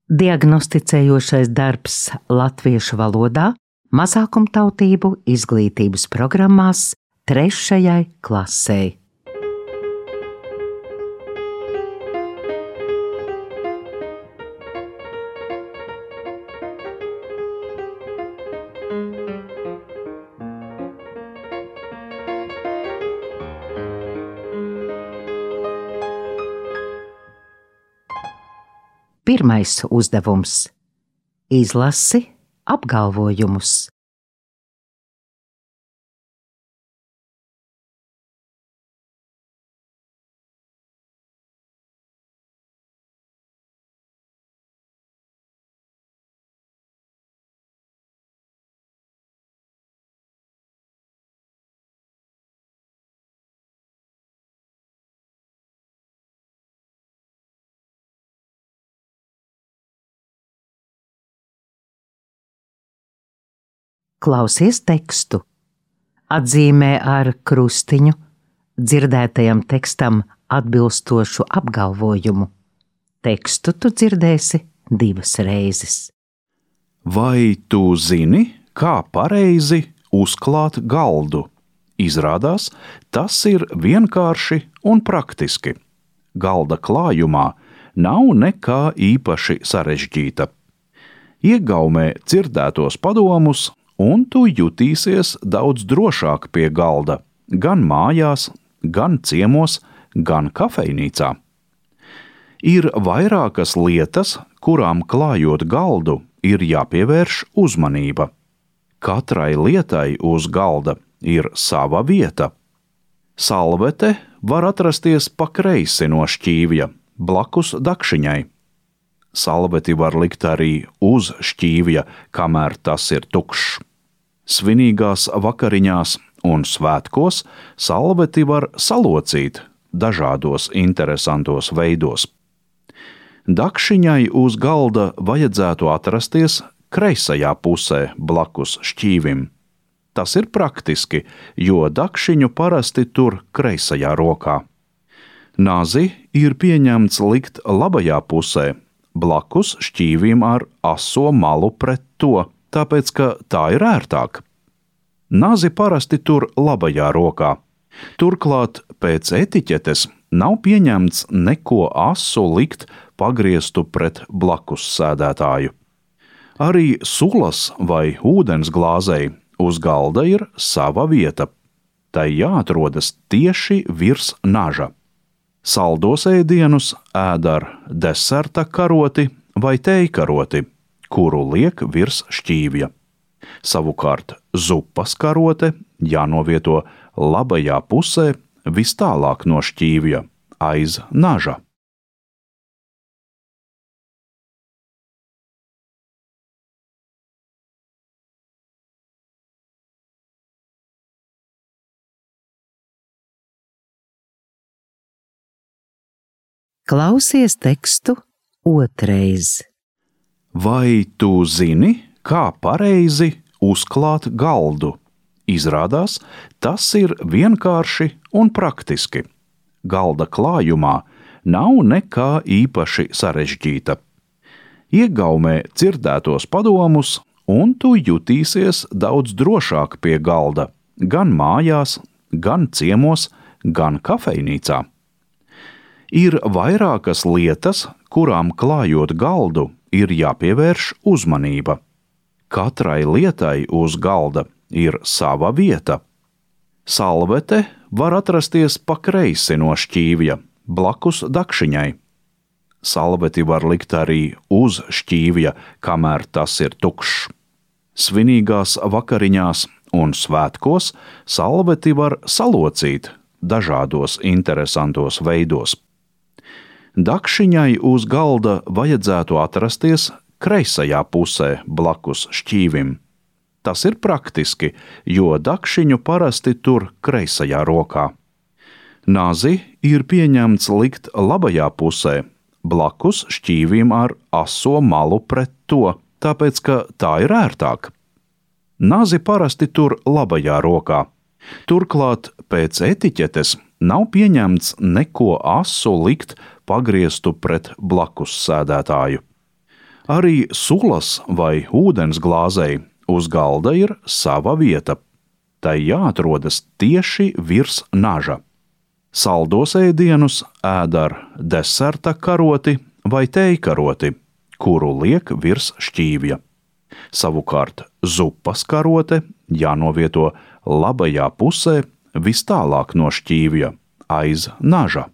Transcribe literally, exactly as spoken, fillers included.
Diagnosticējošais darbs latviešu valodā mazākumtautību izglītības programmās trešajai klasei. Pirmais uzdevums – izlasi apgalvojumus. Klausies tekstu. Atzīmē ar krustiņu dzirdētajam tekstam atbilstošu apgalvojumu. Tekstu tu dzirdēsi divas reizes. Vai tu zini, kā pareizi uzklāt galdu? Izrādās, tas ir vienkārši un praktiski. Galda klājumā nav nekā īpaši sarežģīta. Iegaumē dzirdētos padomus, un tu jutīsies daudz drošāk pie galda, gan mājās, gan ciemos, gan kafejnīcā. Ir vairākas lietas, kurām klājot galdu, ir jāpievērš uzmanība. Katrai lietai uz galda ir sava vieta. Salvete var atrasties pa kreisi no šķīvja, blakus dakšiņai. Salveti var likt arī uz šķīvja, kamēr tas ir tukšs. Svinīgās vakariņās un svētkos salveti var salocīt dažādos interesantos veidos. Dakšiņai uz galda vajadzētu atrasties kreisajā pusē blakus šķīvim. Tas ir praktiski, jo dakšiņu parasti tur kreisajā rokā. Nazi ir pieņemts likt labajā pusē, blakus šķīvim ar aso malu pret to, tāpēc, ka tā ir ērtāk. Nazi parasti tur labajā rokā. Turklāt pēc etiķetes nav pieņemts neko asu likt pagrieztu pret blakus sēdētāju. Arī sulas vai ūdens glāzei uz galda ir sava vieta. Tai jāatrodas tieši virs naža. Saldos ēdienus ēd ar deserta karoti vai tejkaroti, kuru liek virs šķīvja. Savukārt zupas karote jānovieto labajā pusē vis tālāk no šķīvja, aiz naža. Klausies tekstu otrais. Vai tu zini, kā pareizi uzklāt galdu? Izrādās, tas ir vienkārši un praktiski. Galda klājumā nav nekā īpaši sarežģīta. Iegaumē dzirdētos padomus, un tu jutīsies daudz drošāk pie galda, gan mājās, gan ciemos, gan kafejnīcā. Ir vairākas lietas, kurām klājot galdu, ir jāpievērš uzmanība. Katrai lietai uz galda ir sava vieta. Salvete var atrasties pa kreisi no šķīvja, blakus dakšiņai. Salveti var likt arī uz šķīvja, kamēr tas ir tukšs. Svinīgās vakariņās un svētkos salveti var salocīt dažādos interesantos veidos. Dakšiņai uz galda vajadzētu atrasties kreisajā pusē blakus šķīvim. Tas ir praktiski, jo dakšiņu parasti tur kreisajā rokā. Nazi ir pieņemts likt labajā pusē, blakus šķīvim ar aso malu pret to, tāpēc, ka tā ir ērtāk. Nazi parasti tur labajā rokā. Turklāt pēc etiķetes nav pieņemts neko asu likt pagrieztu pret blakus sēdētāju. Arī sulas vai ūdens glāzei uz galda ir sava vieta. Tai jāatrodas tieši virs naža. Saldos ēdienus ēd ar deserta karoti vai tejkaroti, kuru liek virs šķīvja. Savukārt zupas karote jānovieto labajā pusē vis tālāk no šķīvja, aiz naža.